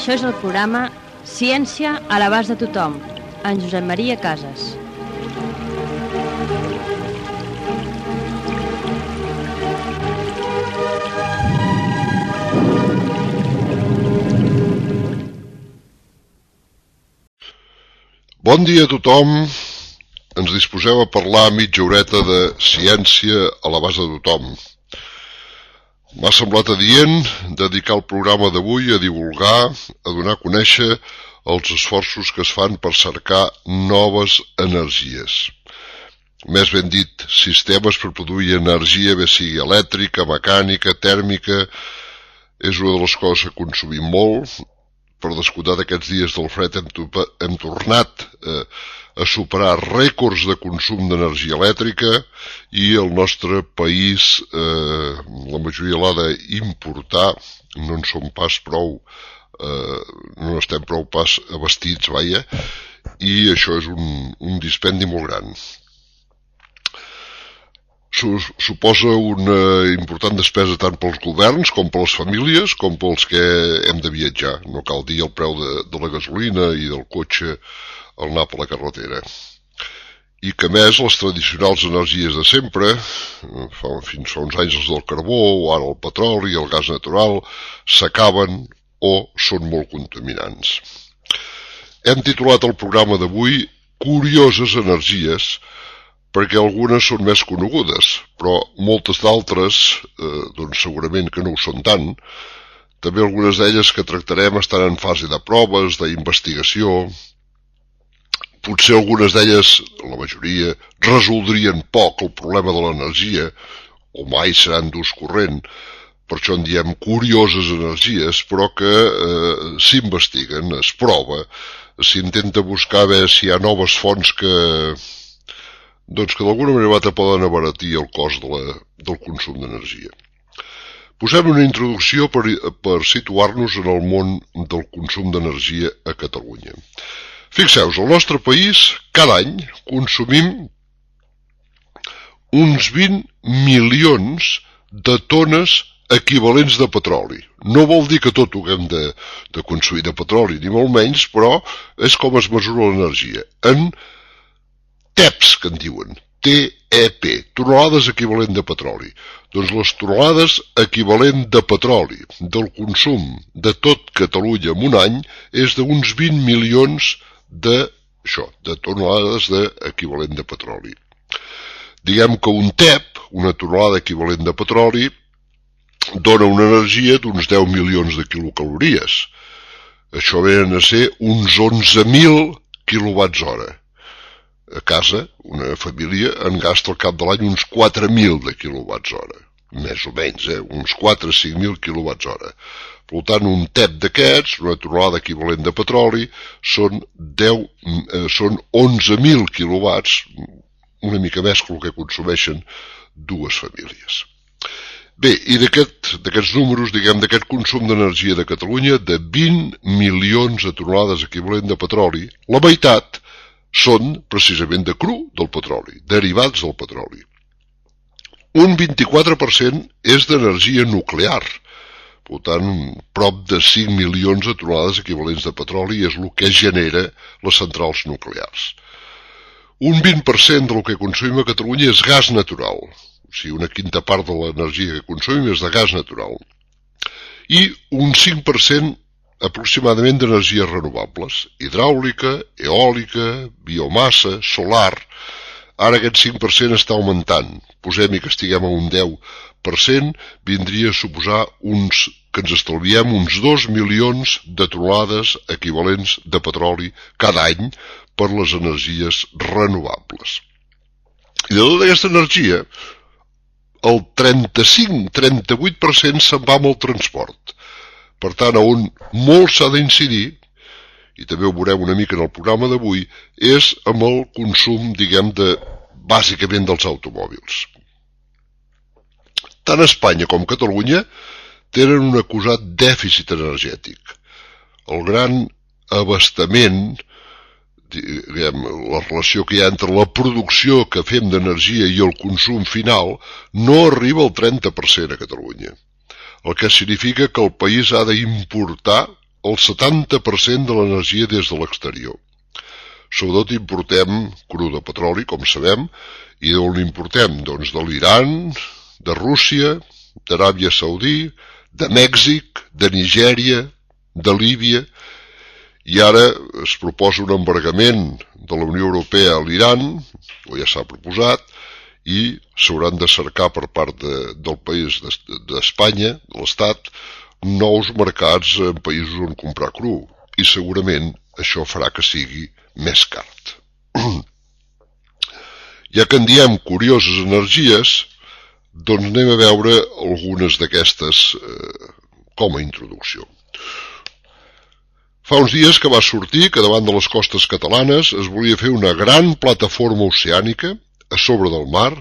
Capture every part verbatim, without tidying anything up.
Això és el programa Ciència a l'abast de tothom, en Josep Maria Casas. Bon dia a tothom. Ens disposeu a parlar mitja horeta de ciència a l'abast de tothom. M'ha semblat adient dedicar el programa d'avui a divulgar, a donar a conèixer els esforços que es fan per cercar noves energies. Més ben dit, sistemes per produir energia, bé sigui elèctrica, mecànica, tèrmica. És una de les coses que consumim molt. Per descomptat, aquests dies del fred hem, hem tornat eh, a superar rècords de consum d'energia elèctrica i el nostre país, eh, la majoria l'ha d'importar, no en som pas prou, eh, no estem prou pas abastits, vaja, i això és un, un dispendi molt gran. Suposa una important despesa tant pels governs com per les famílies com pels que hem de viatjar. No cal dir el preu de, de la gasolina i del cotxe al anar per la carretera. I que més les tradicionals energies de sempre, fa, fins fa uns anys els del carbó, o ara el petroli i el gas natural, s'acaben o són molt contaminants. Hem titulat el programa d'avui Curioses energies, perquè algunes són més conegudes, però moltes d'altres, eh, doncs segurament que no ho són tant. També algunes d'elles que tractarem estan en fase de proves, d'investigació. Potser algunes d'elles, la majoria, resoldrien poc el problema de l'energia, o mai seran d'ús corrent, per això en diem curioses energies, però que eh, s'investiguen, es prova, s'intenta buscar veure si hi ha noves fonts que... doncs que d'alguna manera poden abaratir el cost de la, del consum d'energia. Posem una introducció per, per situar-nos en el món del consum d'energia a Catalunya. Fixeu-vos, al nostre país, cada any consumim uns vint milions de tones equivalents de petroli. No vol dir que tot ho haguem de, de consumir de petroli, ni molt menys, però és com es mesura l'energia. En T E Ps, que en diuen, T E P, tonelades equivalent de petroli. Doncs les tonelades equivalent de petroli del consum de tot Catalunya en un any és d'uns vint milions de, això, de tonelades de equivalent de petroli. Diguem que un T E P, una tonelada equivalent de petroli, dona una energia d'uns deu milions de quilocalories. Això venen a ser uns onze mil quilowatts hora. A casa, una família en gasta al cap de l'any uns quatre mil de quilowatts hora, més o menys, eh? uns quatre a cinc mil quilowatts hora. Per tant, un T E P d'aquests, una tonelada equivalent de petroli, són, deu, eh, són onze mil quilowatts, una mica més que el que consumeixen dues famílies. Bé, i d'aquests aquest, números, diguem, d'aquest consum d'energia de Catalunya, de vint milions de tonelades equivalent de petroli, la meitat són precisament de cru del petroli, derivats del petroli. Un vint-i-quatre per cent és d'energia nuclear, per tant, prop de cinc milions de tonelades equivalents de petroli és el que genera les centrals nuclears. Un vint per cent del que consumim a Catalunya és gas natural, o sigui, una quinta part de l'energia que consumim és de gas natural. I un cinc per cent aproximadament d'energies renovables, hidràulica, eòlica, biomassa, solar. Ara aquest cinc per cent està augmentant. Posem-hi que estiguem a un deu per cent, vindria a suposar uns, que ens estalviem uns dos milions de tonelades equivalents de petroli cada any per les energies renovables. I de tota aquesta energia, el trenta-cinc a trenta-vuit per cent se'n va amb el transport. Per tant, on molt s'ha d'incidir, i també ho veurem una mica en el programa d'avui, és amb el consum, diguem, de, bàsicament dels automòbils. Tant Espanya com Catalunya tenen un acusat dèficit energètic. El gran abastament, diguem, la relació que hi ha entre la producció que fem d'energia i el consum final, no arriba al trenta per cent a Catalunya. El que significa que el país ha d'importar el setanta per cent de l'energia des de l'exterior. Sobretot importem cru de petroli, com sabem, i d'on l'importem? Doncs de l'Iran, de Rússia, d'Aràbia Saudí, de Mèxic, de Nigèria, de Líbia, i ara es proposa un embargament de la Unió Europea a l'Iran, o ja s'ha proposat, i s'hauran de cercar per part de, del país d'Espanya, de l'Estat, nous mercats en països on comprar cru, i segurament això farà que sigui més car. Ja que en diem curioses energies, doncs anem a veure algunes d'aquestes eh, com a introducció. Fa uns dies que va sortir que davant de les costes catalanes es volia fer una gran plataforma oceànica a sobre del mar,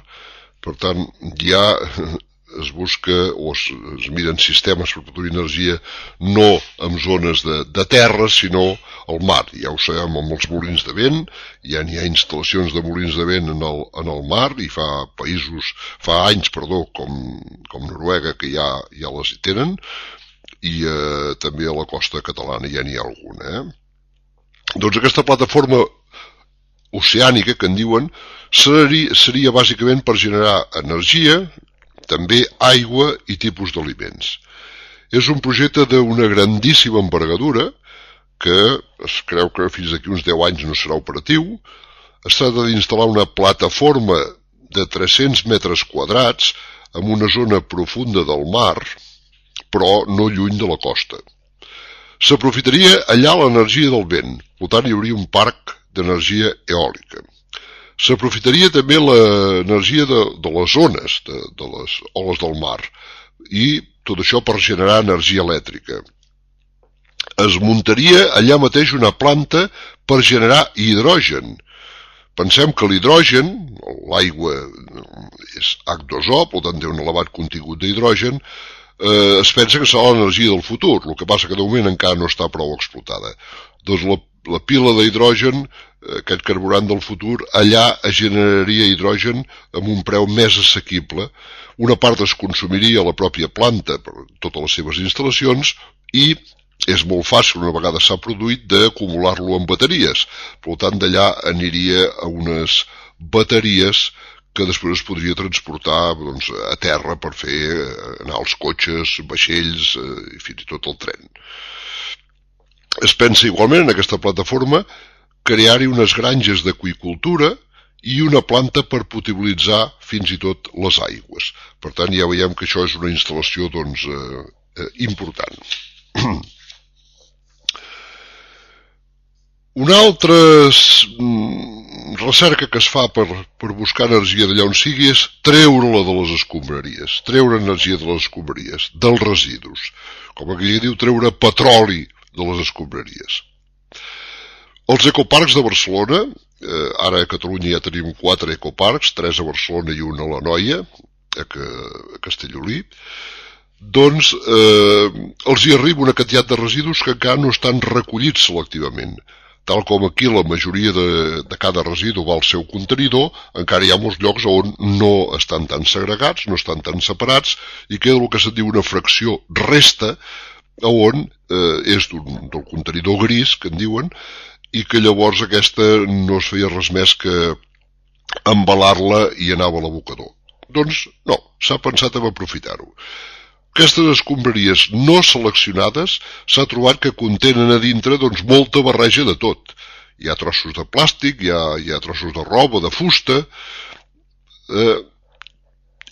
per tant ja es busca o es, es miren sistemes per produir energia no en zones de, de terra, sinó al mar. Ja ho sabem amb els molins de vent, ja n'hi ha instal·lacions de molins de vent en el, en el mar, i fa països, fa anys, perdó, com, com Noruega, que ja, ja les hi tenen, i eh, també a la costa catalana ja n'hi ha alguna. Eh? Doncs aquesta plataforma oceànica, que en diuen, seria, seria bàsicament per generar energia, també aigua i tipus d'aliments. És un projecte d'una grandíssima envergadura, que es creu que fins d'aquí uns deu anys no serà operatiu. Es tracta d'instal·lar una plataforma de tres-cents metres quadrats en una zona profunda del mar, però no lluny de la costa. S'aprofitaria allà l'energia del vent, per tant hi hauria un parc d'energia eòlica. S'aprofitaria també l'energia de, de les ones, de, de les oles del mar, i tot això per generar energia elèctrica. Es muntaria allà mateix una planta per generar hidrogen. Pensem que l'hidrogen, l'aigua és hac dos o, per tant té un elevat contingut d'hidrogen, eh, es pensa que serà l'energia del futur, el que passa que de moment encara no està prou explotada. Doncs la, la pila d'hidrogen, aquest carburant del futur, allà es generaria hidrogen amb un preu més assequible. Una part es consumiria a la pròpia planta per totes les seves instal·lacions, i és molt fàcil, una vegada s'ha produït, d'acumular-lo en bateries. Per tant, d'allà aniria a unes bateries que després es podria transportar doncs, a terra per fer anar els cotxes, vaixells i fins i tot el tren. Es pensa igualment en aquesta plataforma crear-hi unes granges d'aqüicultura i una planta per potabilitzar fins i tot les aigües. Per tant, ja veiem que això és una instal·lació doncs, eh, important. Una altra recerca que es fa per, per buscar energia d'allà on sigui és treure-la de les escombraries, treure energia de les escombraries, dels residus. Com aquell diu, treure petroli de les escombraries. Els ecoparcs de Barcelona, eh, ara a Catalunya ja tenim quatre ecoparcs, tres a Barcelona i un a l'Anoia, a, a Castellolí, doncs eh, els hi arriba una quantitat de residus que encara no estan recollits selectivament. Tal com aquí la majoria de, de cada residu va al seu contenidor, encara hi ha molts llocs on no estan tan segregats, no estan tan separats, i queda el que se'n diu una fracció resta, on eh, és del contenidor gris, que en diuen, i que llavors aquesta no es feia res més que embalar-la i anava a l'abocador. Doncs no, s'ha pensat en aprofitar-ho. Aquestes escombraries no seleccionades s'ha trobat que contenen a dintre doncs, molta barreja de tot. Hi ha trossos de plàstic, hi ha, hi ha trossos de roba, de fusta, eh,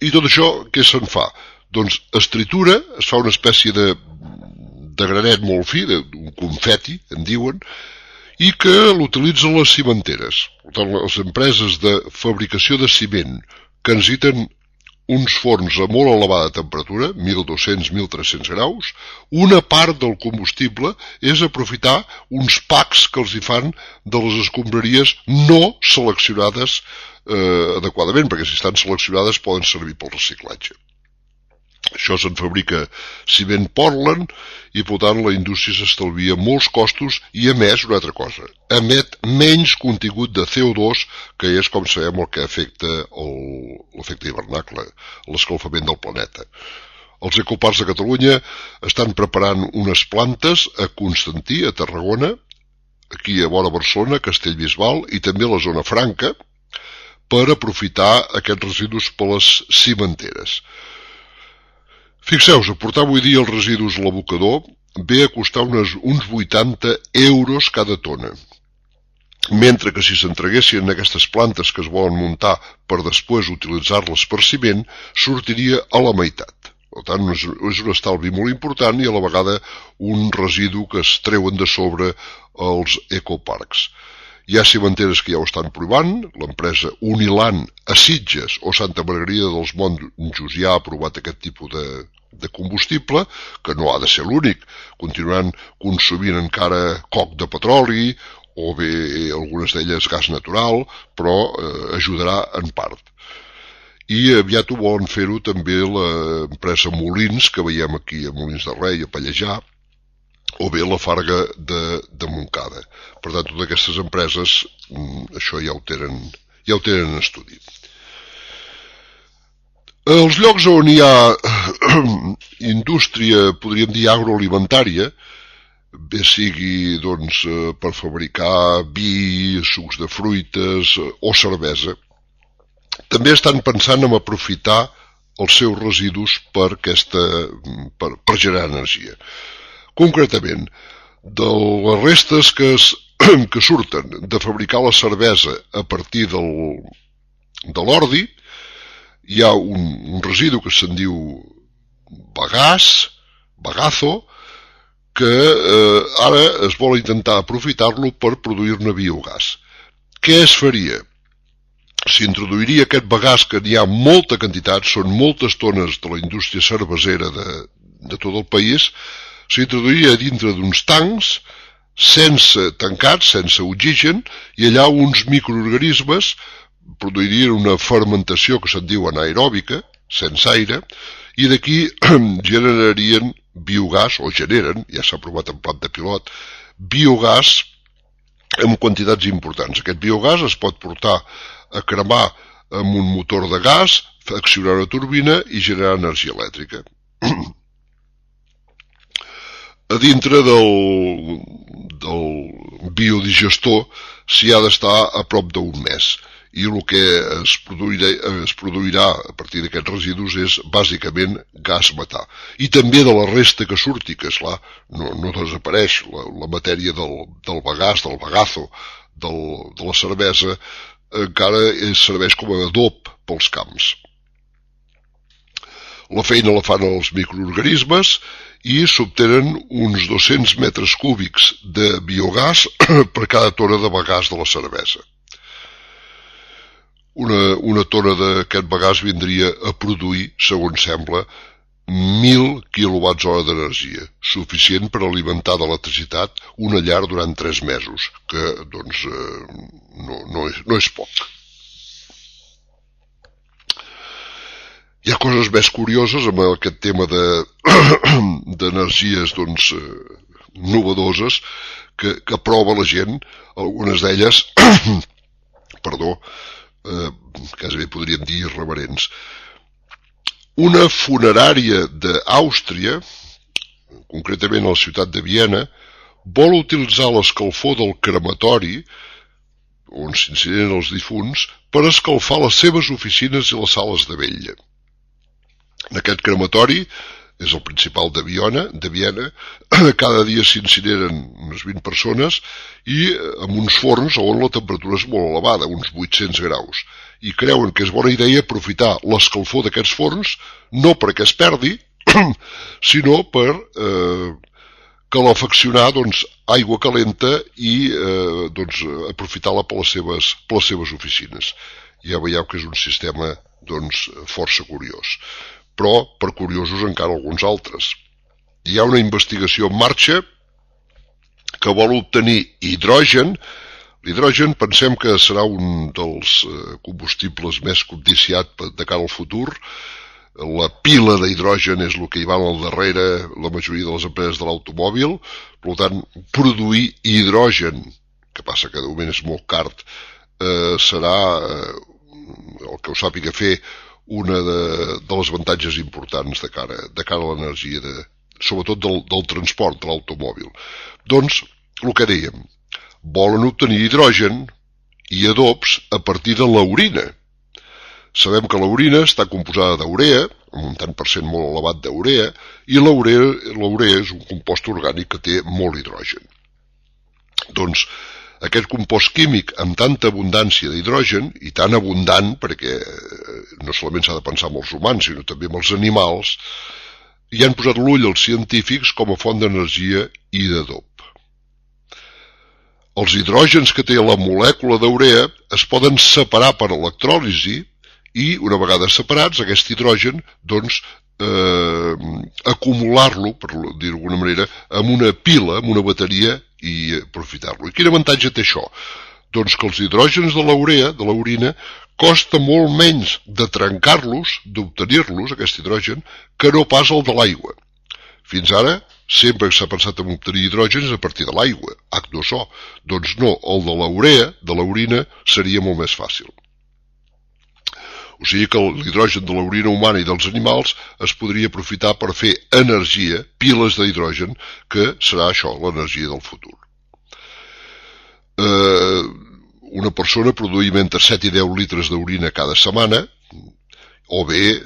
i tot això què se'n fa? Doncs es tritura, es fa una espècie de, de granet molt fi, un confeti, en diuen, i que l'utilitzen les cimenteres. Per tant, les empreses de fabricació de ciment que necessiten uns forns a molt elevada temperatura, mil dos-cents a mil tres-cents graus, una part del combustible és aprofitar uns packs que els hi fan de les escombraries no seleccionades eh, adequadament, perquè si estan seleccionades poden servir pel reciclatge. Això se'n fabrica ciment Portland i, per tant, la indústria s'estalvia molts costos i, a més, una altra cosa, emet menys contingut de C O dos, que és, com sabem, el que afecta l'efecte hivernacle, l'escalfament del planeta. Els ecoparcs de Catalunya estan preparant unes plantes a Constantí, a Tarragona, aquí a vora Barcelona, Castellbisbal i també a la zona franca, per aprofitar aquests residus per les cimenteres. Fixeu-vos, aportar avui dia els residus a l'abocador ve a costar unes, uns vuitanta euros cada tona, mentre que si s'entreguessin aquestes plantes que es volen muntar per després utilitzar-les per ciment, sortiria a la meitat. Per tant, és un estalvi molt important i a la vegada un residu que es treuen de sobre els ecoparcs. Hi ha cimenteres que ja ho estan provant, l'empresa Unilan a Sitges o Santa Margarida dels Monjos ja ha provat aquest tipus de, de combustible, que no ha de ser l'únic, continuaran consumint encara coc de petroli o bé algunes d'elles gas natural, però eh, ajudarà en part. I aviat ho volen fer-ho també l'empresa Molins, que veiem aquí a Molins de Rei, a Pallejà, o bé la Farga de, de Montcada. Per tant, totes aquestes empreses, això ja ho tenen, ja ho tenen en estudi. Els llocs on hi ha indústria, podríem dir agroalimentària, bé sigui doncs, per fabricar vi, sucs de fruites o cervesa, també estan pensant en aprofitar els seus residus per, aquesta, per, per generar energia. Concretament, de les restes que, es, que surten de fabricar la cervesa a partir del, de l'ordi, hi ha un, un residu que se'n diu bagàs, bagazo, que eh, ara es vol intentar aprofitar-lo per produir-ne biogàs. Què es faria? S'introduiria aquest bagàs, que n'hi ha molta quantitat, són moltes tones de la indústria cervesera de, de tot el país, s'introduiria dintre d'uns tancs, sense tancats, sense oxigen, i allà uns microorganismes produirien una fermentació que se'n diu anaeròbica, sense aire, i d'aquí generarien biogàs, o generen, ja s'ha provat en plat de pilot, biogàs en quantitats importants. Aquest biogàs es pot portar a cremar amb un motor de gas, accionar una turbina i generar energia elèctrica. A dintre del, del biodigestor s'hi ha d'estar a prop d'un mes i el que es produirà, es produirà a partir d'aquests residus és bàsicament gas metà. I també de la resta que surti, que esclar, no, no desapareix, la, la matèria del, del bagàs, del bagazo, del, de la cervesa, encara serveix com a adob pels camps. La feina la fan els microorganismes i s'obtenen uns dos-cents metres cúbics de biogàs per cada tona de bagàs de la cervesa. Una, una tona d'aquest bagàs vindria a produir, segons sembla, mil quilowatts hora d'energia, suficient per alimentar d'electricitat una llar durant tres mesos, que, doncs, eh, no, no, és, no és poc. Hi ha coses més curioses amb aquest tema de d'energies, doncs, eh, novedoses que, que prova la gent, algunes d'elles, perdó, eh, quasi bé podríem dir irreverents. Una funerària d'Àustria, concretament a la ciutat de Viena, vol utilitzar l'escalfor del crematori, on s'incineren els difunts, per escalfar les seves oficines i les sales de vetlla. En aquest crematori, és el principal de Viena, de Viena, cada dia s'incineren unes vint persones i amb uns forns on la temperatura és molt elevada, uns vuit-cents graus. I creuen que és bona idea aprofitar l'escalfor d'aquests forns, no perquè es perdi, sinó per eh, calefaccionar doncs, aigua calenta i eh, doncs, aprofitar-la per les seves, per les seves oficines. Ja veieu que és un sistema doncs, força curiós. Però, per curiosos, encara alguns altres. Hi ha una investigació en marxa que vol obtenir hidrogen. L'hidrogen pensem que serà un dels combustibles més codiciats de cara al futur. La pila d'hidrogen és el que hi va al darrere la majoria de les empreses de l'automòbil. Per tant, produir hidrogen, que passa que de moment és molt car, eh, serà, eh, el que ho sàpiga fer, una de, de les avantatges importants de cara, de cara a l'energia, de, sobretot del, del transport, de l'automòbil. Doncs, el que dèiem, volen obtenir hidrogen i adobs a partir de l'orina. Sabem que l'orina està composada d'urea, amb un tant per cent molt elevat d'urea, i l'urea és un compost orgànic que té molt hidrogen. Doncs aquest compost químic amb tanta abundància d'hidrogen, i tan abundant perquè no solament s'ha de pensar en els humans, sinó també en els animals, hi han posat l'ull els científics com a font d'energia i d'adob. Els hidrògens que té la molècula d'urea es poden separar per electròlisi i, una vegada separats, aquest hidrogen, doncs, eh, acumular-lo, per dir-ho d'alguna manera, en una pila, en una bateria, i aprofitar-lo. I quin avantatge té això? Doncs que els hidrògens de l'urea, de l'orina, costa molt menys de trencar-los, d'obtenir-los, aquest hidrogen, que no pas el de l'aigua. Fins ara, sempre s'ha pensat en obtenir hidrògens a partir de l'aigua, hac dos o. Doncs no, el de l'urea, de l'orina, seria molt més fàcil. O sigui que l'hidrogen de l'orina humana i dels animals es podria aprofitar per fer energia, piles d'hidrogen, que serà això, l'energia del futur. Eh, una persona produïm entre set i deu litres d'orina cada setmana, o bé,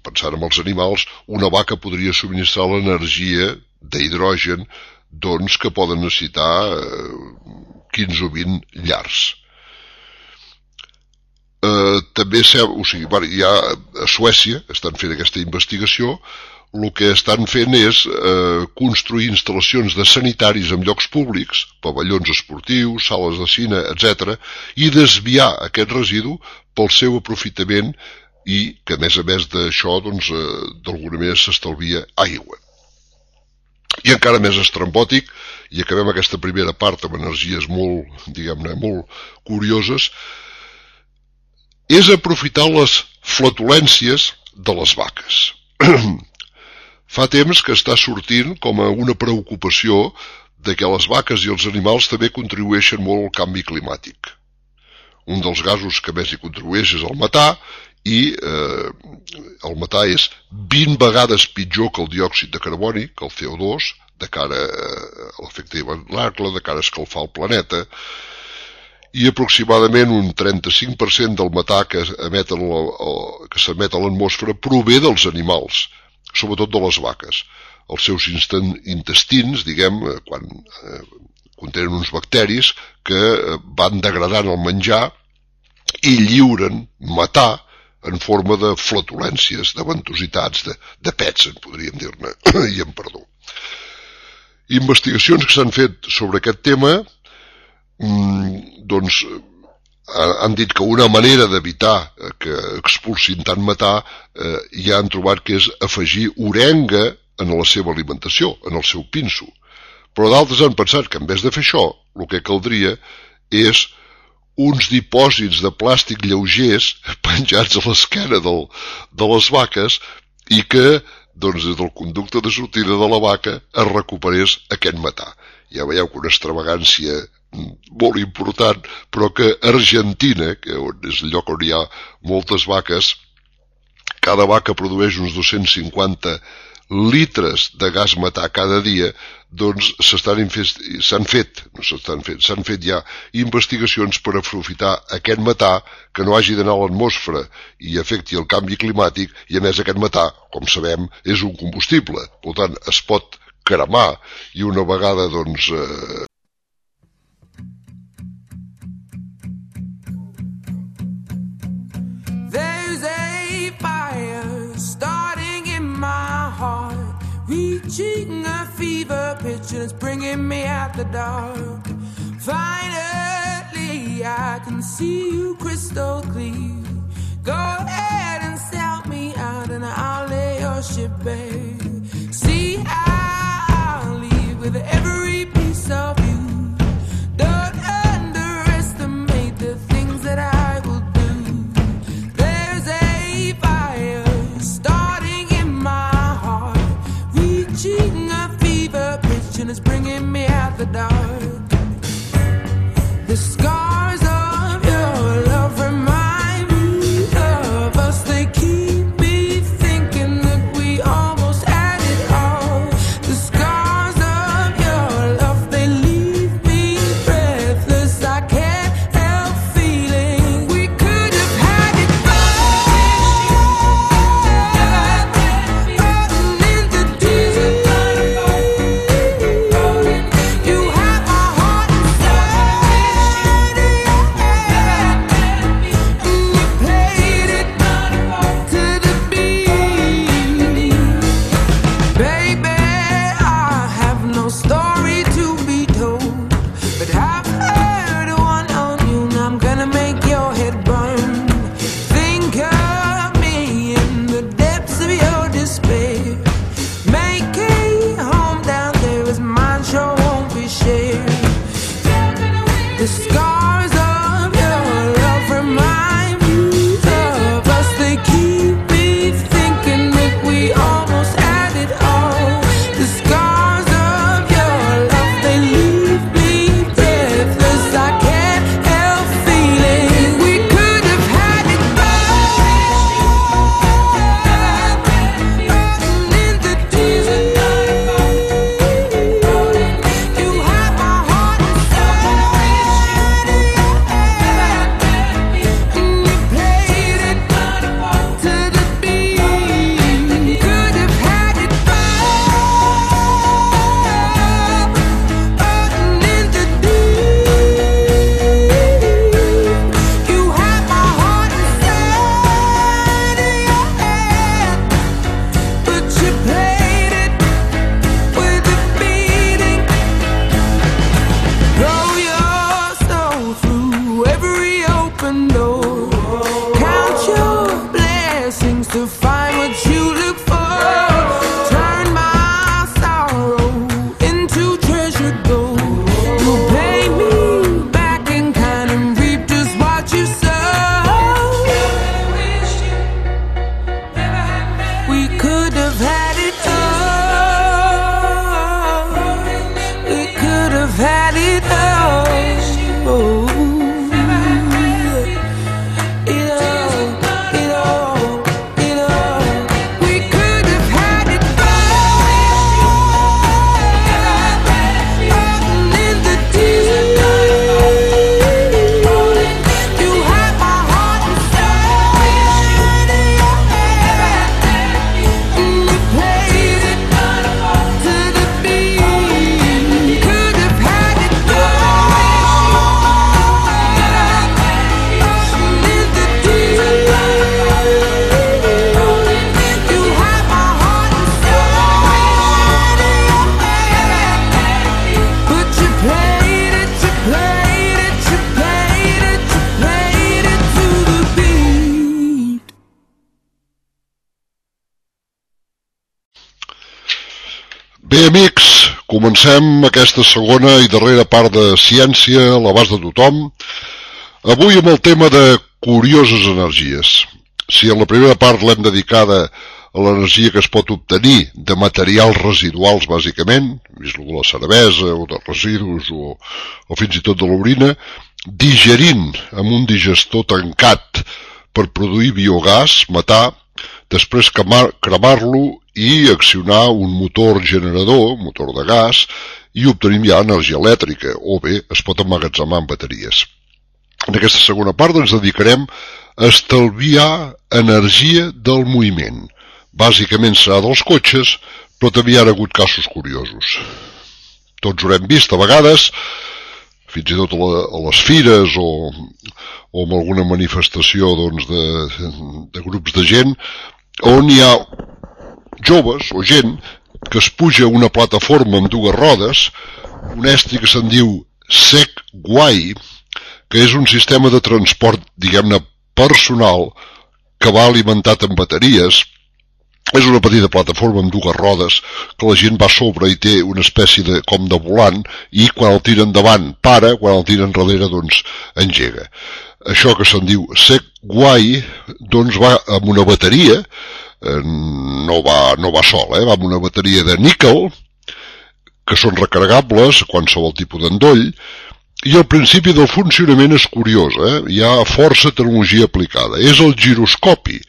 pensant en els animals, una vaca podria subministrar l'energia d'hidrogen doncs, que poden necessitar quinze o vint llars. Eh, també o sigui, ja a Suècia estan fent aquesta investigació, el que estan fent és eh, construir instal·lacions de sanitaris en llocs públics, pavellons esportius, sales de cine, etcètera, i desviar aquest residu pel seu aprofitament i que, a més a més d'això, doncs, eh, d'alguna manera s'estalvia aigua. I encara més estrambòtic, i acabem aquesta primera part amb energies molt, diguem-ne, molt curioses, és aprofitar les flatulències de les vaques. Fa temps que està sortint com a una preocupació de que les vaques i els animals també contribueixen molt al canvi climàtic. Un dels gasos que més hi contribueix és el metà, i eh, el metà és vint vegades pitjor que el diòxid de carboni, que el C O dos, de cara a l'efecte hivernacle, de cara a escalfar el planeta, i aproximadament un trenta-cinc per cent del metà que s'emet a l'atmosfera prové dels animals, sobretot de les vaques. Els seus intestins, diguem, quan eh, contenen uns bacteris que van degradant el menjar i lliuren metà en forma de flatulències, de ventositats, de, de pets, en podríem dir-ne, i en perdó. Investigacions que s'han fet sobre aquest tema doncs han dit que una manera d'evitar que expulsin tant metà eh, ja han trobat que és afegir orenga en la seva alimentació, en el seu pinso. Però d'altres han pensat que en vez de fer això, el que caldria és uns dipòsits de plàstic lleugers penjats a l'esquena del, de les vaques i que doncs, des del conducte de sortida de la vaca es recuperés aquest metà. Ja veieu que una extravagància molt important, però que Argentina, que és el lloc on hi ha moltes vaques, cada vaca produeix uns dos-cents cinquanta litres de gas metà cada dia, doncs s'han fet, no s'estan fet, s'han fet ja investigacions per aprofitar aquest metà que no hagi d'anar a l'atmosfera i afecti el canvi climàtic, i a més aquest metà, com sabem, és un combustible, per tant es pot cremar i una vegada doncs eh, reaching a fever pitch and it's bringing me out the dark. Finally, I can see you crystal clear. Go ahead and sell me out and I'll lay your ship bare. See, I'll leave with every piece of you. Don't underestimate the things that I will do. There's a fire starting in my heart, reaching a fever pitch and it's bringing me out the dark. The scars of your love remind me of us, they keep blessings to find what you look for. Turn my sorrow into treasure gold. You pay me back in kind and reap just what you sow. We could have had it all. We could have had it all. Oh. Bé, amics, comencem aquesta segona i darrera part de Ciència a l'abast de tothom, avui amb el tema de curioses energies. Si en la primera part l'hem dedicada a l'energia que es pot obtenir de materials residuals, bàsicament, vist de la cervesa o de residus o, o fins i tot de l'orina, digerint amb un digestor tancat per produir biogàs, matar, després cremar-lo i accionar un motor generador, motor de gas, i obtenim ja energia elèctrica, o bé es pot emmagatzemar en bateries. En aquesta segona part ens dedicarem a estalviar energia del moviment. Bàsicament serà dels cotxes, però també hi ha hagut casos curiosos. Tots ho hem vist a vegades, fins i tot a, la, a les fires o, o en alguna manifestació doncs, de, de grups de gent, on hi ha joves o gent que es puja a una plataforma amb dues rodes, un estri que se'n diu Segway, que és un sistema de transport, diguem-ne, personal, que va alimentat amb bateries. És una petita plataforma amb dues rodes que la gent va sobre i té una espècie de, com de volant, i quan el tira endavant para, quan el tira enrere doncs engega. Això que se'n diu Segway doncs va amb una bateria, no va, no va sol, eh? Va amb una bateria de níquel, que són recarregables a qualsevol tipus d'endoll, i el principi del funcionament és curiós, eh? Hi ha força tecnologia aplicada. És el giroscopi,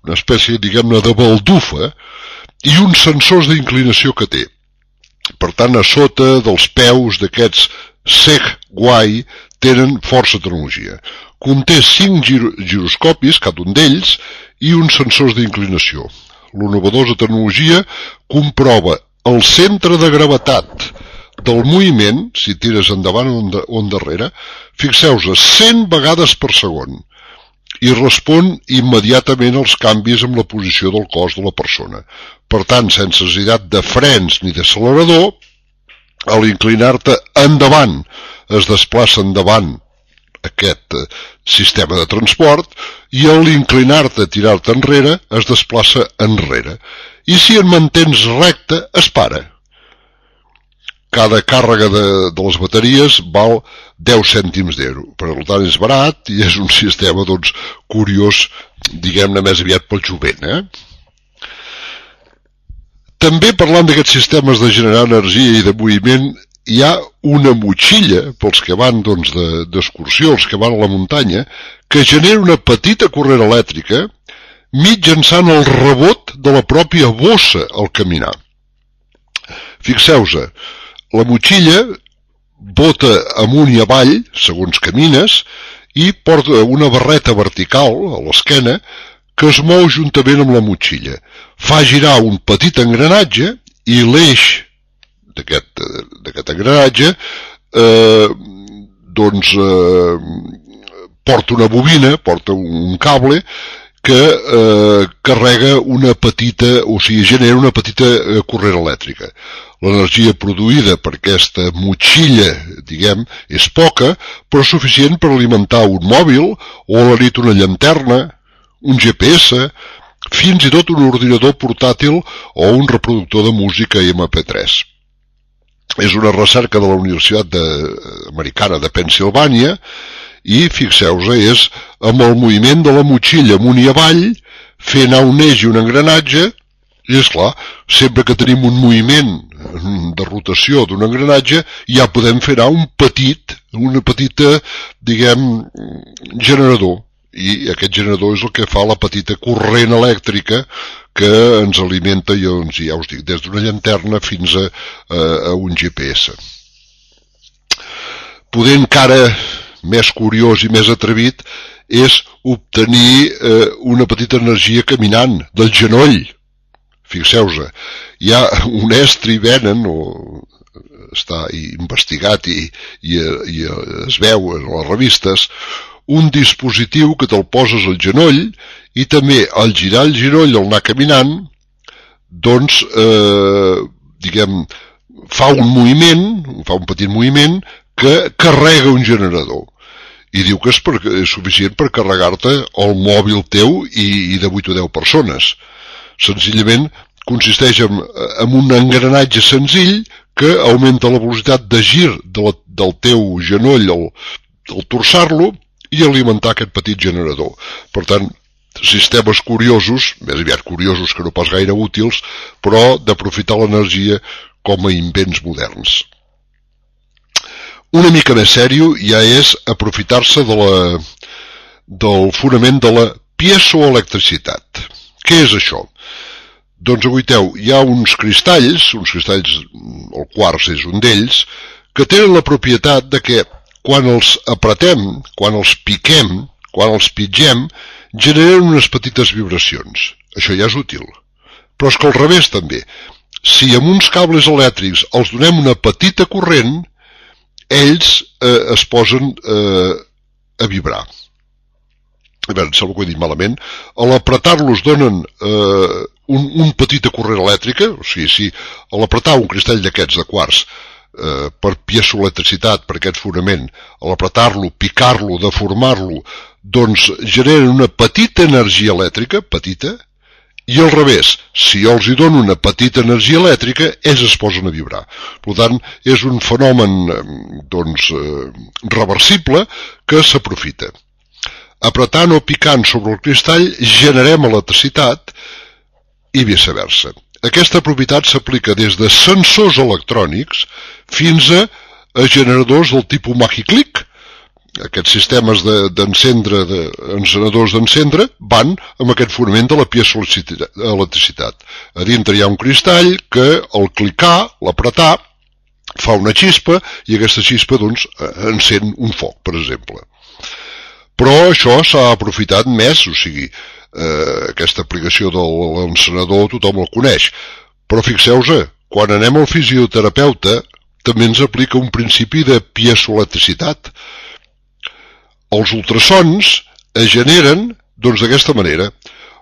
una espècie, diguem-ne, de baldufa, i uns sensors d'inclinació que té. Per tant, a sota dels peus d'aquests Segway tenen força tecnologia. Conté cinc gir giroscopis, cada un d'ells, i uns sensors d'inclinació. L'innovadora tecnologia comprova el centre de gravetat del moviment, si tires endavant o endarrere, fixeu-vos, cent vegades per segon, i respon immediatament als canvis en la posició del cos de la persona. Per tant, sense necessitat de frens ni d'accelerador, a l'inclinar-te endavant es desplaça endavant aquest sistema de transport, i a l'inclinar-te a tirar-te enrere es desplaça enrere. I si en mantens recte, es para. Cada càrrega de, de les bateries val deu cèntims d'euro. Per tant, és barat i és un sistema doncs, curiós, diguem-ne més aviat pel jovent. Eh? També parlant d'aquests sistemes de generar energia i de moviment, hi ha una motxilla, pels que van doncs, d'excursió, els que van a la muntanya, que genera una petita corrent elèctrica mitjançant el rebot de la pròpia bossa al caminar. Fixeu-vos, la motxilla bota amunt i avall, segons camines, i porta una barreta vertical a l'esquena que es mou juntament amb la motxilla. Fa girar un petit engranatge i l'eix d'aquest engranatge eh, doncs eh, porta una bobina, porta un cable que eh, carrega una petita, o sigui, genera una petita eh, corrent elèctrica. L'energia produïda per aquesta motxilla, diguem, és poca, però suficient per alimentar un mòbil, o a la nit una llanterna, un G P S, fins i tot un ordinador portàtil o un reproductor de música ema pe tres. És una recerca de la Universitat de, Americana de Pennsilvània i, fixeu-vos, és amb el moviment de la motxilla amunt i avall, fer anar un eix i un engranatge, i és clar, sempre que tenim un moviment de rotació d'un engranatge, ja podem fer anar un petit, una petita, diguem, generador. I aquest generador és el que fa la petita corrent elèctrica que ens alimenta, doncs, ja us dic, des d'una llanterna fins a, a, a un ge pe esse. Poder encara més curiós i més atrevit és obtenir eh, una petita energia caminant del genoll. Fixeu-vos, hi ha un estri venen, o està investigat i, i, i es veu en les revistes, un dispositiu que te'l poses al genoll i també al girar el genoll, al anar caminant, doncs, eh, diguem, fa un moviment, fa un petit moviment que carrega un generador. I diu que és, per, és suficient per carregar-te el mòbil teu i, i de vuit o deu persones. Senzillament consisteix en, en un engranatge senzill que augmenta la velocitat de gir de la, del teu genoll al, al torçar-lo i alimentar aquest petit generador. Per tant, sistemes curiosos, més aviat curiosos que no pas gaire útils, però d'aprofitar l'energia com a invents moderns. Una mica més sèrio ja és aprofitar-se de la, del fonament de la piezoelectricitat. Què és això? Doncs, aguaiteu, hi ha uns cristalls, uns cristalls, el quars és un d'ells, que tenen la propietat de que quan els apretem, quan els piquem, quan els pitgem, generen unes petites vibracions. Això ja és útil. Però és que al revés també. Si amb uns cables elèctrics els donem una petita corrent, ells eh, es posen eh, a vibrar. A veure, sembla que ho he dit malament. A l'apretar-los donen eh, un, un petita corrent elèctrica, o sigui, si a l'apretar un cristall d'aquests de quars eh, per piezoelectricitat, per aquest fonament, a l'apretar-lo, picar-lo, deformar-lo, doncs generen una petita energia elèctrica, petita, i al revés, si jo els hi dono una petita energia elèctrica, ells es posen a vibrar. Per tant, és un fenomen doncs, reversible que s'aprofita. Apretant o picant sobre el cristall generem electricitat i viceversa. Aquesta propietat s'aplica des de sensors electrònics fins a, a generadors del tipus Magiclick. Aquests sistemes d'encendre, de, d'encenedors d'encendre, van amb aquest fonament de la piezoelectricitat. A dintre hi ha un cristall que al clicar, l'apretar, fa una xispa i aquesta xispa doncs, encén un foc, per exemple. Però això s'ha aprofitat més, o sigui, eh, aquesta aplicació de l'encenedor tothom el coneix. Però fixeu-vos, quan anem al fisioterapeuta també ens aplica un principi de piezoelectricitat. Els ultrasons es generen doncs d'aquesta manera.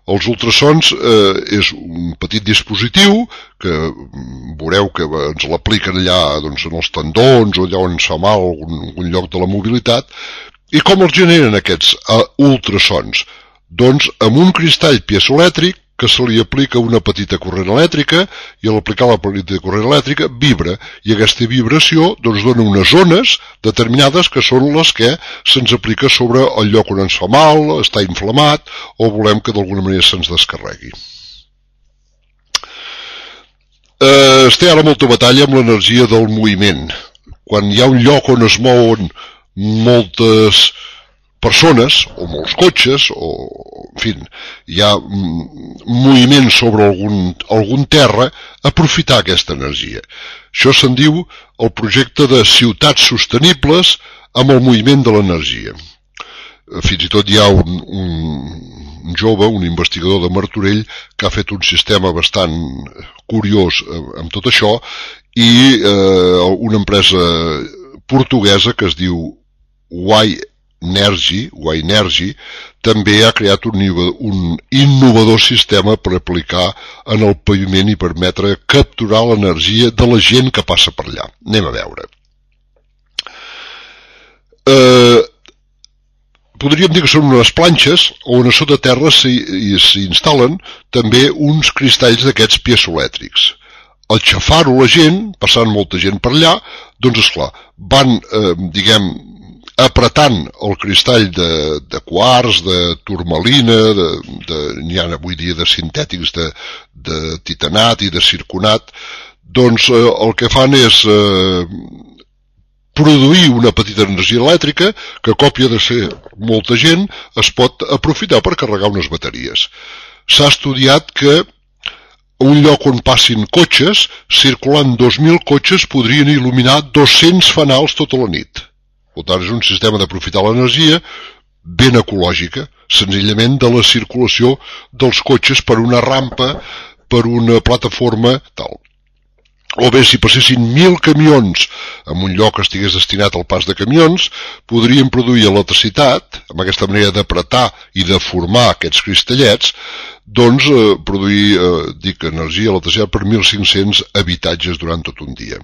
Els ultrasons eh, és un petit dispositiu que veureu que ens l'apliquen allà doncs, en els tendons o allà on ens fa mal algun, algun lloc de la mobilitat. I com els generen aquests eh, ultrasons? Doncs amb un cristall piezoelèctric que se li aplica una petita corrent elèctrica i a l'aplicar la petita corrent elèctrica vibra i aquesta vibració doncs, dona unes ones determinades que són les que se'ns aplica sobre el lloc on ens fa mal, està inflamat o volem que d'alguna manera se'ns descarregui. Eh, es té ara molta batalla amb l'energia del moviment. Quan hi ha un lloc on es mouen moltes persones, o molts cotxes, o, en fi, hi ha moviment sobre algun, algun terra, aprofitar aquesta energia. Això se'n diu el projecte de ciutats sostenibles amb el moviment de l'energia. Fins i tot hi ha un, un, un jove, un investigador de Martorell, que ha fet un sistema bastant curiós amb tot això, i eh, una empresa portuguesa que es diu Y Energy, Y-Energy, també ha creat un, un innovador sistema per aplicar en el paviment i permetre capturar l'energia de la gent que passa per allà. Anem a veure. Eh, podríem dir que són unes planxes on a sota terra s'hi instal·len també uns cristalls d'aquests piezoelèctrics. Al xafar-ho la gent, passant molta gent per allà, doncs esclar, van, eh, diguem, apretant el cristall de, de quars, de turmalina, de, de, n'hi ha avui dia de sintètics de, de titanat i de circonat, doncs eh, el que fan és eh, produir una petita energia elèctrica que, a còpia de ser molta gent, es pot aprofitar per carregar unes bateries. S'ha estudiat que un lloc on passin cotxes, circulant dos mil cotxes, podrien il·luminar dos-cents fanals tota la nit. Per tant, és un sistema d'aprofitar l'energia ben ecològica, senzillament de la circulació dels cotxes per una rampa, per una plataforma, tal. O bé, si passessin mil camions en un lloc que estigués destinat al pas de camions, podrien produir electricitat, amb aquesta manera d'apretar i de formar aquests cristallets, doncs eh, produir, eh, dic, energia, electricitat per mil cinc-cents habitatges durant tot un dia.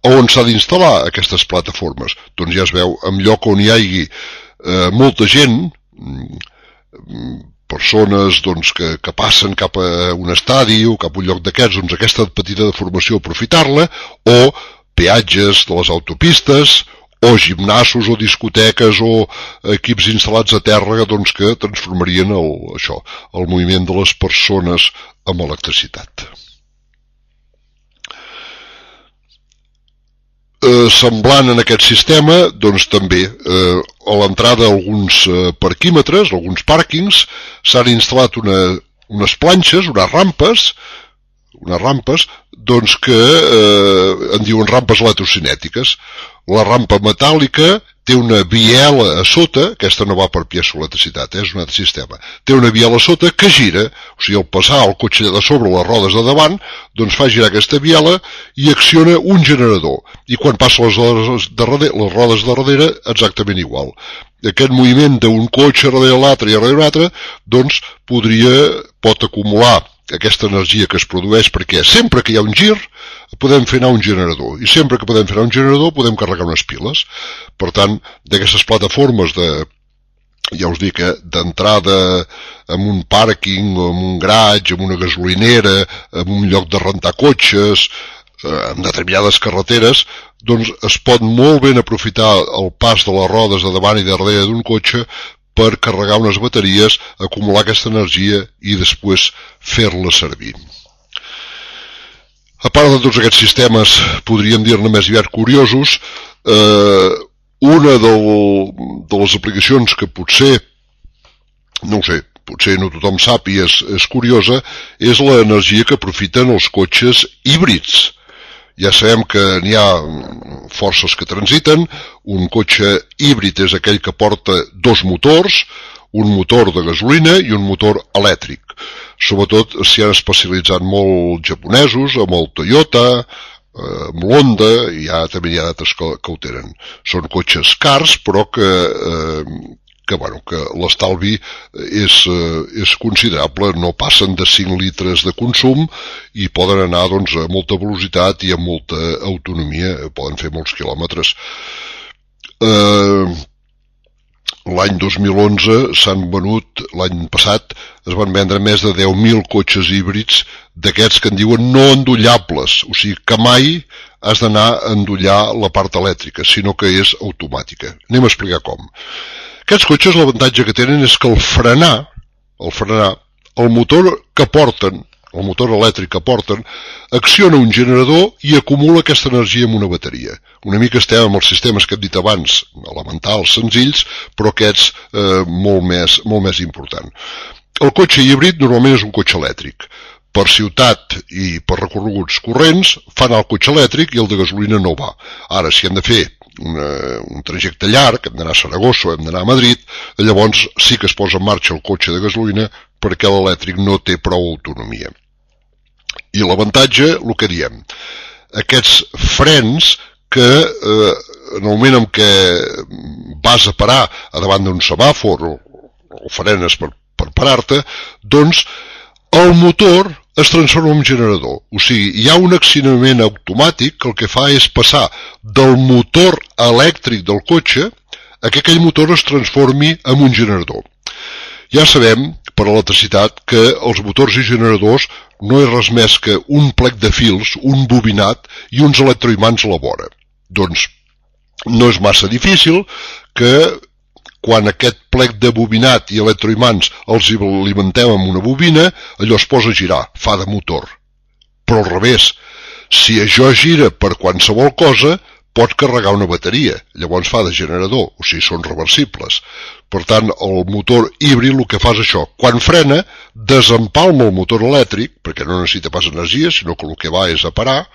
On s'ha d'instal·lar aquestes plataformes? Doncs ja es veu, en lloc on hi hagi eh, molta gent, persones doncs, que, que passen cap a un estadi o cap a un lloc d'aquests, doncs aquesta petita deformació aprofitar-la, o peatges de les autopistes, o gimnasos o discoteques o equips instal·lats a terra doncs, que transformarien el, això, el moviment de les persones amb electricitat. Eh, semblant en aquest sistema, doncs també eh, a l'entrada d'alguns eh, parquímetres, alguns pàrquings, s'han instal·lat una, unes planxes, unes rampes, unes rampes, doncs que eh, en diuen rampes electrocinètiques. La rampa metàl·lica té una biela a sota, aquesta no va per piezoelectricitat, eh, és un altre sistema, té una biela a sota que gira, o sigui, al passar el cotxe de sobre les rodes de davant, doncs fa girar aquesta biela i acciona un generador. I quan passa les rodes de darrere, les rodes de darrere, exactament igual. Aquest moviment d'un cotxe darrere l'altre i darrere l'altre, doncs podria, pot acumular aquesta energia que es produeix, perquè sempre que hi ha un gir podem fer anar un generador, i sempre que podem fer anar un generador podem carregar unes piles. Per tant, d'aquestes plataformes de, ja us dic, eh, d'entrada en un pàrquing, en un garatge, en una gasolinera, en un lloc de rentar cotxes, en determinades carreteres, doncs es pot molt ben aprofitar el pas de les rodes de davant i de darrere d'un cotxe per carregar unes bateries, acumular aquesta energia i després fer-la servir. A part de tots aquests sistemes, podríem dir-ne més aviat curiosos, eh, una del, de les aplicacions que potser, no ho sé, potser no tothom sap i és, és curiosa, és l'energia que aprofiten els cotxes híbrids. Ja sabem que n'hi ha forces que transiten, un cotxe híbrid és aquell que porta dos motors, un motor de gasolina i un motor elèctric. Sobretot s'hi han especialitzat molt japonesos, amb el Toyota, amb l'Honda, i ja també hi ha d'altres que, que ho tenen. Són cotxes cars, però que, eh, que, bueno, que l'estalvi és, eh, és considerable, no passen de cinc litres de consum i poden anar doncs, a molta velocitat i amb molta autonomia, poden fer molts quilòmetres. Eh, L'any dos mil onze s'han venut, l'any passat, es van vendre més de deu mil cotxes híbrids d'aquests que en diuen no endollables, o sigui que mai has d'anar a endollar la part elèctrica, sinó que és automàtica. Anem a explicar com. Aquests cotxes l'avantatge que tenen és que el frenar, el frenar, el motor que porten, el motor elèctric que porten, acciona un generador i acumula aquesta energia en una bateria. Una mica estem amb els sistemes que hem dit abans, elementals, senzills, però aquests eh, molt, més, molt més important. El cotxe híbrid normalment és un cotxe elèctric. Per ciutat i per recorreguts corrents fan el cotxe elèctric i el de gasolina no va. Ara, si hem de fer una, un trajecte llarg, hem d'anar a Saragossa o hem d'anar a Madrid, llavors sí que es posa en marxa el cotxe de gasolina perquè l'elèctric no té prou autonomia. I l'avantatge, el que diem, aquests frens que eh, en el moment en què vas a parar a davant d'un semàfor o, o frenes per, per parar-te, doncs el motor es transforma en generador. O sigui, hi ha un accionament automàtic que el que fa és passar del motor elèctric del cotxe que aquell motor es transformi en un generador. Ja sabem, per l'electricitat, que els motors i generadors no és res més que un plec de fils, un bobinat i uns electroimants a la vora. Doncs no és massa difícil que quan aquest plec de bobinat i electroimants els alimentem amb una bobina, allò es posa a girar, fa de motor. Però al revés, si això gira per qualsevol cosa, pot carregar una bateria, llavors fa de generador, o sigui, són reversibles. Per tant, el motor híbrid el que fa és això. Quan frena, desempalma el motor elèctric, perquè no necessita pas energia, sinó que el que va és a parar,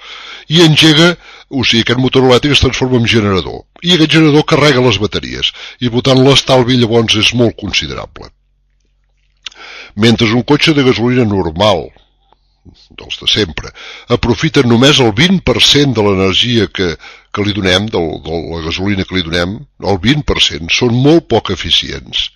i engega, o sigui, aquest motor elèctric es transforma en generador. I aquest generador carrega les bateries, i per tant l'estalvi llavors és molt considerable. Mentre un cotxe de gasolina normal, dels de sempre, aprofiten només el vint per cent de l'energia que, que li donem, de, de la gasolina que li donem, el vint per cent, són molt poc eficients.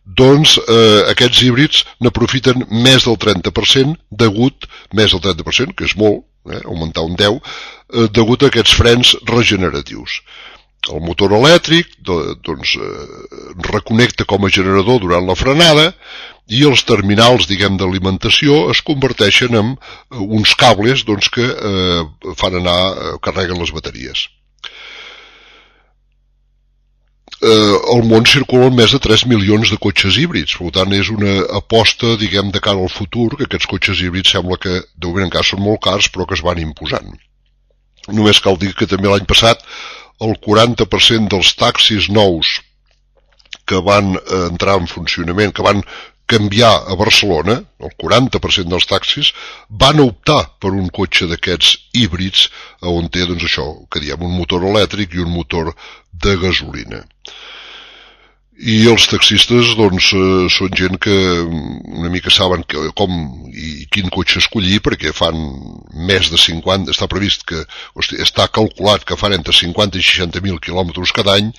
Doncs eh, aquests híbrids n'aprofiten més del trenta per cent, degut, més del trenta per cent, que és molt, eh, augmentar un deu, eh, degut a aquests frens regeneratius. El motor elèctric doncs, eh, reconnecta com a generador durant la frenada i els terminals, diguem, d'alimentació es converteixen en uns cables doncs, que eh, fan anar, eh, carreguen les bateries. Eh, al món circulen més de tres milions de cotxes híbrids, per tant és una aposta, diguem, de cara al futur, que aquests cotxes híbrids sembla que de moment encara són molt cars, però que es van imposant. Només cal dir que també l'any passat el quaranta per cent dels taxis nous que van entrar en funcionament, que van canviar a Barcelona, el quaranta per cent dels taxis, van optar per un cotxe d'aquests híbrids on té, doncs això, que diem, un motor elèctric i un motor de gasolina. I els taxistes, doncs, eh, són gent que una mica saben que, com i quin cotxe escollir, perquè fan més de cinquanta, està previst que, hosti, està calculat que fan entre cinquanta i seixanta mil quilòmetres cada any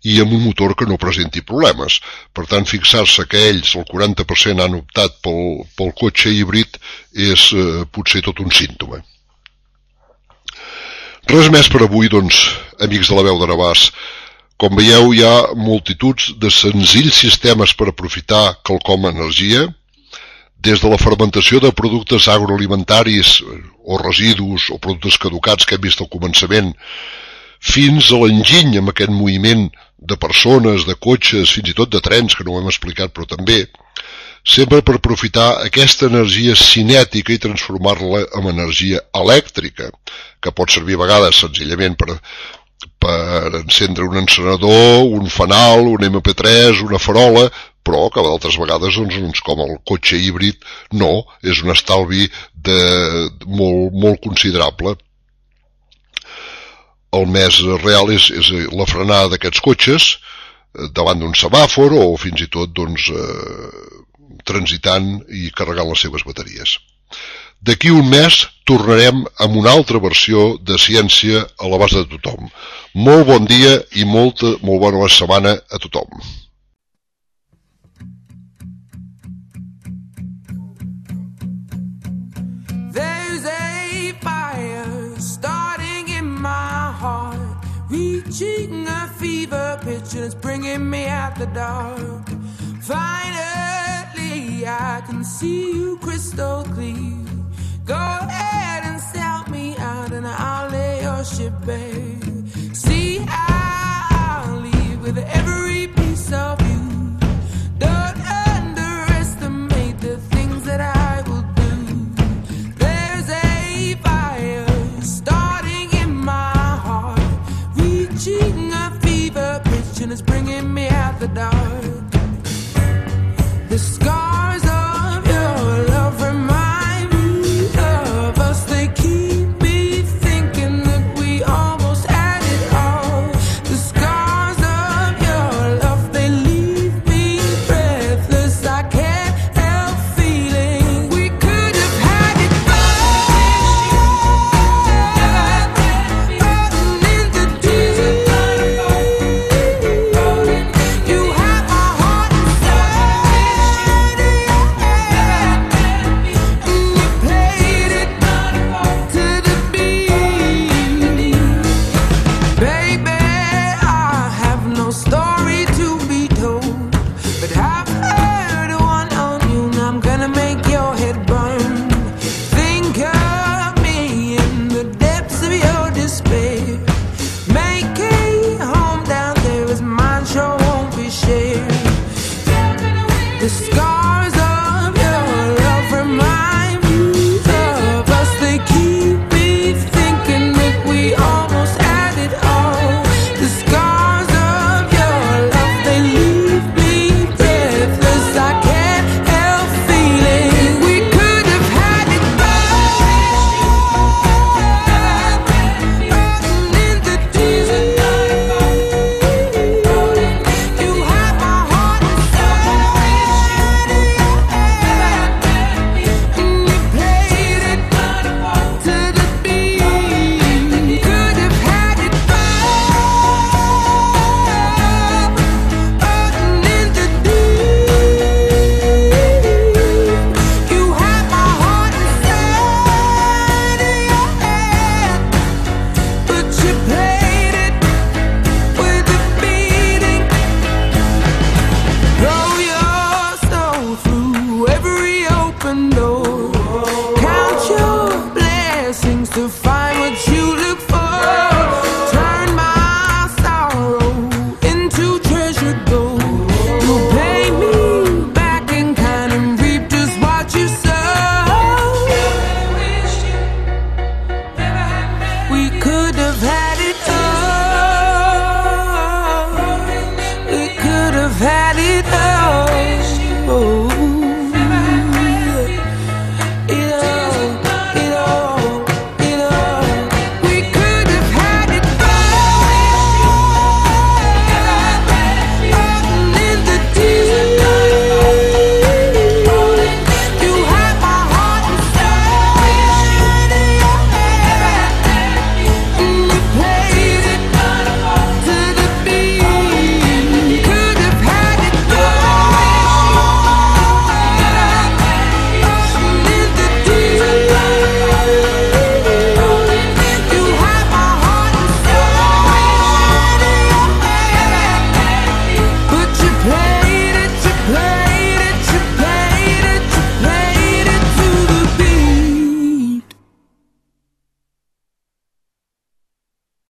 i amb un motor que no presenti problemes. Per tant, fixar-se que ells, el quaranta per cent, han optat pel, pel cotxe híbrid és eh, potser tot un símptoma. Res més per avui, doncs, amics de la veu de Navàs. Com veieu, hi ha multituds de senzills sistemes per aprofitar quelcom energia, des de la fermentació de productes agroalimentaris o residus o productes caducats que hem vist al començament, fins a l'enginy amb aquest moviment de persones, de cotxes, fins i tot de trens, que no ho hem explicat, però també, sempre per aprofitar aquesta energia cinètica i transformar-la en energia elèctrica, que pot servir a vegades senzillament per per encendre un encenedor, un fanal, un eme pe tres, una farola, però que d'altres vegades, doncs, com el cotxe híbrid, no, és un estalvi de, molt, molt considerable. El més real és, és la frenada d'aquests cotxes davant d'un semàfor o fins i tot doncs, eh, transitant i carregant les seves bateries. D'aquí un mes tornarem amb una altra versió de ciència a l'abast de tothom. Molt bon dia i molta, molt bona setmana a tothom. There's a fire starting in my heart, reaching a fever pitch and it's bringing me out the dark. Finally I can see you crystal clear. Go ahead and sell me out and I'll lay your ship bare. See, I'll leave with every piece of you. Don't underestimate the things that I will do. There's a fire starting in my heart, reaching a fever pitch and it's bringing me out the dark. The scars of your love remind head